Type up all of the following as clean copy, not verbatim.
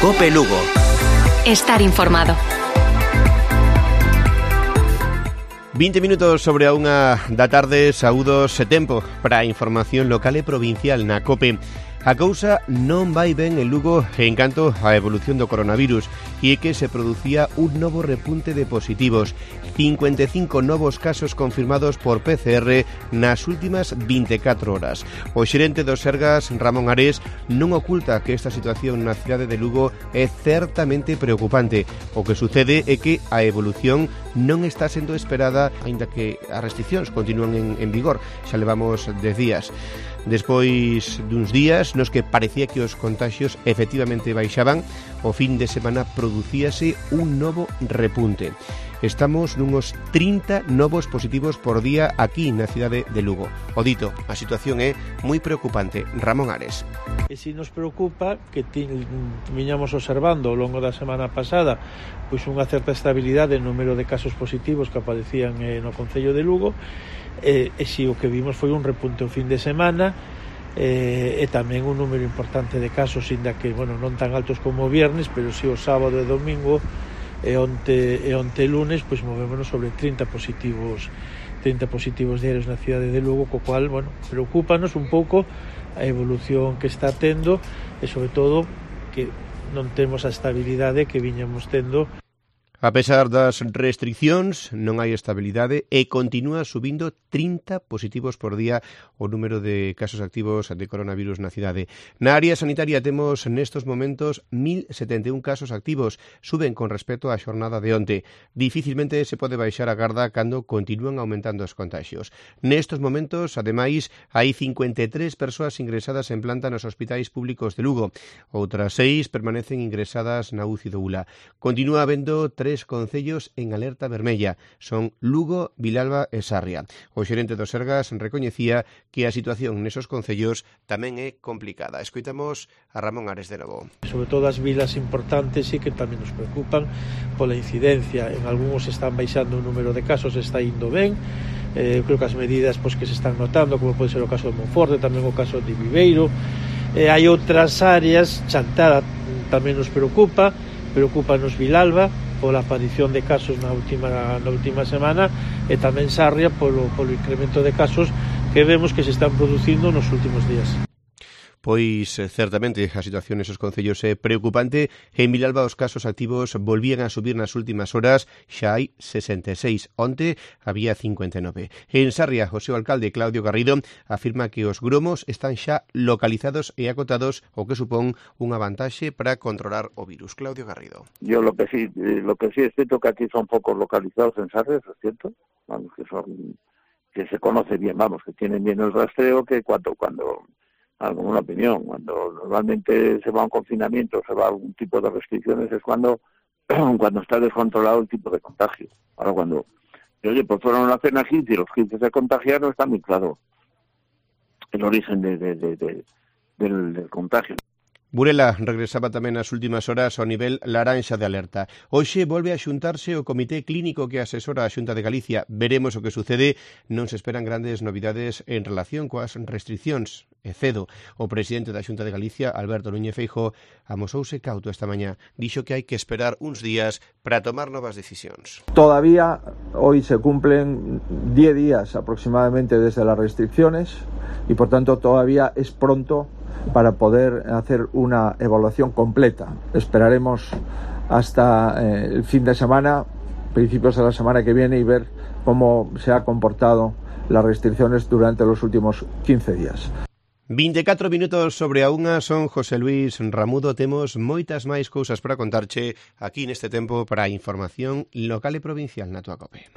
COPE Lugo. Estar informado. 20 minutos sobre a 1 da tarde, saúdos e tempo para a información local e provincial na COPE. A cousa non vai ben en Lugo en canto á evolución do coronavirus e é que se producía un novo repunte de positivos. 55 novos casos confirmados por PCR nas últimas 24 horas. O xerente dos Sergas, Ramón Ares, non oculta que esta situación na cidade de Lugo é certamente preocupante. O que sucede é que a evolución non está sendo esperada, aínda que as restriccións continúan en vigor. Xa levamos 10 días. Despois duns días nos que parecía que os contagios efectivamente baixaban, o fin de semana producíase un novo repunte. Estamos nunos 30 novos positivos por día aquí na cidade de Lugo. O dito, a situación é moi preocupante. Ramón Ares. E si nos preocupa que viñamos observando ao longo da semana pasada pois unha certa estabilidade no número de casos positivos que aparecían no concello de Lugo, e si o que vimos foi un repunte o fin de semana, e tamén un número importante de casos, inda que non tan altos como o viernes, pero si o sábado e domingo e onte lunes pois movémonos sobre 30 positivos diarios na cidade de Lugo, co cual, preocúpanos un pouco a evolución que está tendo e sobre todo que non temos a estabilidade que viñamos tendo. A pesar das restriccións, non hai estabilidade e continúa subindo 30 positivos por día o número de casos activos de coronavirus na cidade. Na área sanitaria temos nestos momentos 1.071 casos activos, suben con respecto á xornada de onte. Dificilmente se pode baixar a garda cando continúan aumentando os contagios. Nestos momentos, ademais, hai 53 persoas ingresadas en planta nos hospitais públicos de Lugo. Outras 6 permanecen ingresadas na UCI do ULA. Continúa habendo 3 concellos en alerta vermella. Son Lugo, Vilalba e Sarria. O xerente dos Sergas recoñecía que a situación nesos concellos tamén é complicada. Escoitamos a Ramón Ares de novo. Sobre todo as vilas importantes sí que tamén nos preocupan pola incidencia. En algúns están baixando o número de casos, está indo ben. Creo que as medidas que se están notando, como pode ser o caso de Monforte, tamén o caso de Viveiro. Hai outras áreas, Chantada tamén nos preocupa-nos Vilalba, pola aparición de casos na última semana, e tamén Sarria polo incremento de casos que vemos que se están producindo nos últimos días. Pois certamente a situación nesos concellos é preocupante. En Vilalba os casos activos volvían a subir nas últimas horas, xa hai 66. Onte había 59. En Sarria, o seu alcalde Claudio Garrido afirma que os gromos están xa localizados e acotados, o que supón unha vantaxe para controlar o virus. Claudio Garrido. Yo lo que sí es cierto que aquí son pocos localizados en Sarria, es cierto, que se conoce bien, que tienen bien el rastreo, que cuando alguna opinión, cuando normalmente se va a un confinamiento, se va a algún tipo de restricciones, es cuando está descontrolado el tipo de contagio. Ahora cuando, pues fueron a cena 15 y los 15 se contagiaron, está muy claro el origen del contagio. Burela regresaba tamén nas últimas horas ao nivel laranxa de alerta. Hoxe volve a xuntarse o Comité Clínico que asesora a Xunta de Galicia. Veremos o que sucede. Non se esperan grandes novidades en relación coas restriccións. E cedo, o presidente da Xunta de Galicia, Alberto Núñez Feijóo, amosouse cauto esta mañá. Dixo que hai que esperar uns días para tomar novas decisións. Todavía hoy se cumplen 10 días aproximadamente desde las restricciones y por tanto todavía es pronto para poder hacer una evaluación completa. Esperaremos hasta el fin de semana, principios de la semana que viene, y ver cómo se ha comportado las restricciones durante los últimos 15 días. 24 minutos sobre a 1, son José Luis Ramudo. Temos moitas máis cousas para contarche aquí neste tempo para a información local e provincial na túa COPE.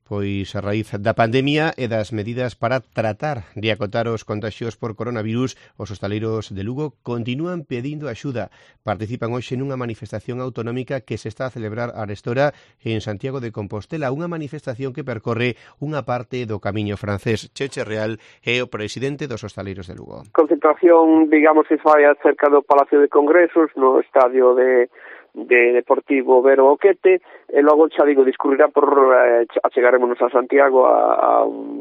Pois a raíz da pandemia e das medidas para tratar de acotar os contaxios por coronavirus, os hostaleiros de Lugo continúan pedindo axuda. Participan hoxe nunha manifestación autonómica que se está a celebrar arestora en Santiago de Compostela, unha manifestación que percorre unha parte do camiño francés. Cheche Real é o presidente dos hostaleiros de Lugo. Concentración, digamos, se fai cerca do Palacio de Congresos, no estadio de Deportivo Vero Oquete, e logo, xa digo, discurrirá achegarémonos a Santiago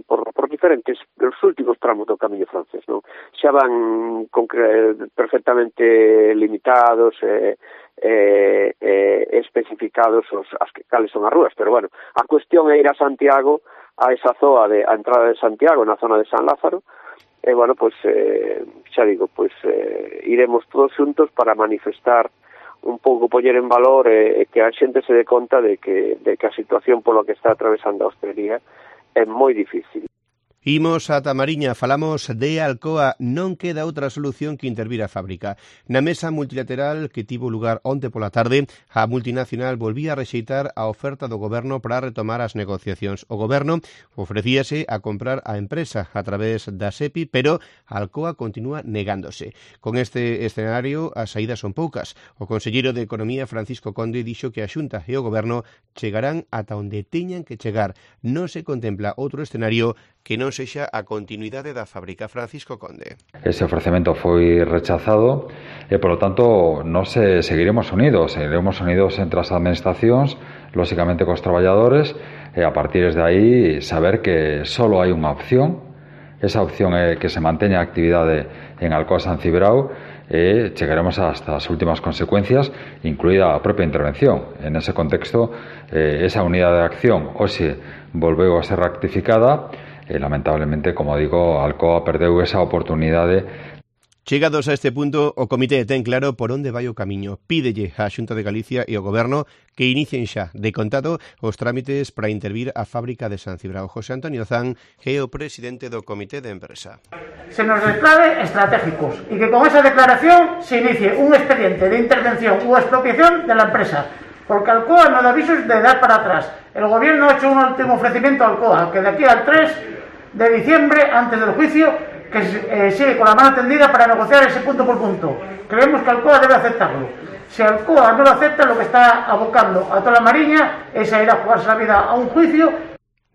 por diferentes os últimos tramos do camiño francés, non? Xa van perfectamente limitados especificados cales son as rúas, pero bueno, a cuestión é ir a Santiago, a esa zoa a entrada de Santiago, na zona de San Lázaro, e bueno, pois xa digo, pois iremos todos xuntos para manifestar un pouco, poñer en valor que a xente se dé conta de que a situación polo que está atravesando a hostelería é moi difícil. Imos a Tamariña, falamos de Alcoa, non queda outra solución que intervir a fábrica. Na mesa multilateral que tivo lugar onte pola tarde, a multinacional volvía a rexeitar a oferta do goberno para retomar as negociacións. O goberno ofrecíase a comprar a empresa a través da SEPI, pero Alcoa continúa negándose. Con este escenario, as saídas son poucas. O conselleiro de Economía, Francisco Conde, dixo que a Xunta e o goberno chegarán ata onde teñan que chegar. Non se contempla outro escenario que non sexa a continuidade da fábrica. Francisco Conde. Ese ofrecemento foi rechazado e, polo tanto, nós seguiremos unidos entre as administracións, lóxicamente cos traballadores, e a partir de aí saber que só hai unha opción. Esa opción é que se manteña a actividade en Alcoa San Cibrao e chegaremos hasta as últimas consecuencias, incluída a propia intervención. En ese contexto, esa unidade de acción hoxe volveu a ser rectificada e, lamentablemente, como digo, Alcoa perdeu esa oportunidade. Chegados a este punto, o comité ten claro por onde vai o camiño. Pídelle á Xunta de Galicia e ao Goberno que inicien xa de contado os trámites para intervir a fábrica de San Cibrao. José Antonio Zan é o presidente do comité de empresa. Se nos declare estratégicos y que con esa declaración se inicie un expediente de intervención o expropiación de la empresa. Porque Alcoa no da avisos de dar para atrás. El gobierno ha hecho un último ofrecimiento a Alcoa, que de aquí al 3 de diciembre, antes del juicio, que sigue con la mano tendida para negociar ese punto por punto. Creemos que Alcoa debe aceptarlo. Si Alcoa no lo acepta, lo que está abocando a toda la Mariña es a ir a jugarse la vida a un juicio.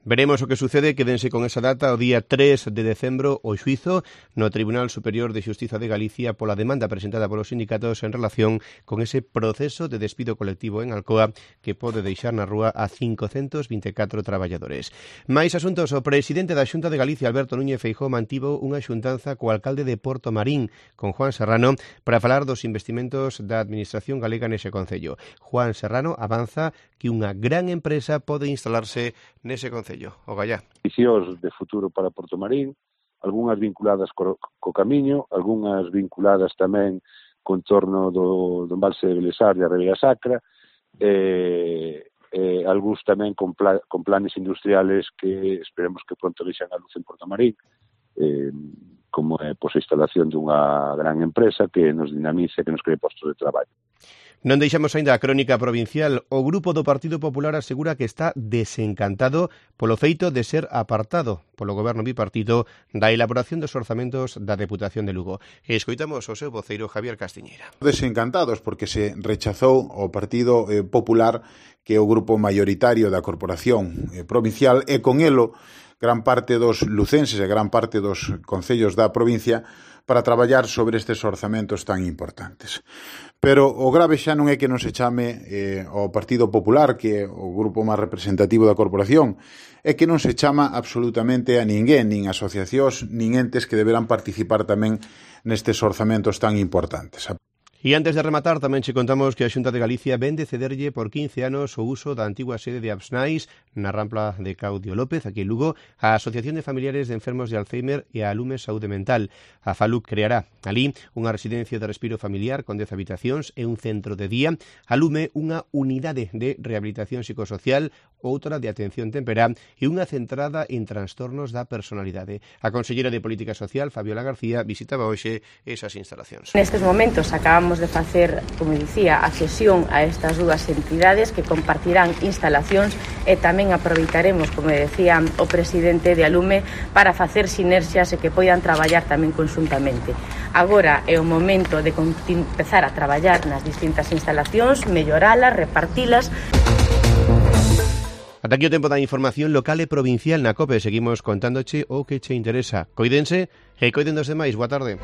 Veremos o que sucede, quédense con esa data, o día 3 de decembro, o xuizo no Tribunal Superior de Xustiza de Galicia pola demanda presentada polos sindicatos en relación con ese proceso de despido colectivo en Alcoa que pode deixar na rúa a 524 traballadores. Mais asuntos, o presidente da Xunta de Galicia, Alberto Núñez Feijóo, mantivo unha xuntanza co alcalde de Porto Marín, con Juan Serrano, para falar dos investimentos da administración galega nese concello. Juan Serrano avanza que unha gran empresa pode instalarse nese concello. O Gallá. Visións de futuro para Porto Marín, algunhas vinculadas co camiño, algunhas vinculadas tamén co entorno do embalse de Belesar e a Ribeira Sacra, algúns tamén con planes industriales que esperemos que pronto deixan a luz en Porto Marín, como é a instalación dunha gran empresa que nos dinamice, que nos cree postos de traballo. Non deixamos aínda a crónica provincial. O grupo do Partido Popular asegura que está desencantado polo feito de ser apartado polo goberno bipartito da elaboración dos orzamentos da Deputación de Lugo. E escoitamos o seu voceiro Javier Castiñeira. Desencantados porque se rechazou o Partido Popular, que é o grupo maioritario da Corporación Provincial, e con elo gran parte dos lucenses e gran parte dos concellos da provincia para traballar sobre estes orzamentos tan importantes. Pero o grave xa non é que non se chame ao Partido Popular, que é o grupo máis representativo da corporación, é que non se chama absolutamente a ninguén, nin asociacións, nin entes que deberán participar tamén nestes orzamentos tan importantes. E antes de rematar, tamén che contamos que a Xunta de Galicia vende cederlle por 15 anos o uso da antigua sede de Absnais na Rampla de Claudio López, aquí en Lugo, a Asociación de Familiares de Enfermos de Alzheimer e a Alume Saúde Mental. A FALUC creará ali unha residencia de respiro familiar con 10 habitacións e un centro de día. Alume unha unidade de rehabilitación psicosocial, outra de atención temperá e unha centrada en trastornos da personalidade. A consellera de Política Social, Fabiola García, visitaba hoxe esas instalacións. Nestes momentos acabamos de facer, como dicía, a cesión a estas dúas entidades que compartirán instalacións e tamén aproveitaremos, como decía o presidente de Alume, para facer sinerxias e que poidan traballar tamén conjuntamente. Agora é o momento de empezar a traballar nas distintas instalacións, melloralas, repartilas. Ata aquí o tempo da información local e provincial na COPE. Seguimos contándoche o que che interesa. Coídense e coiden dos demais. Boa tarde.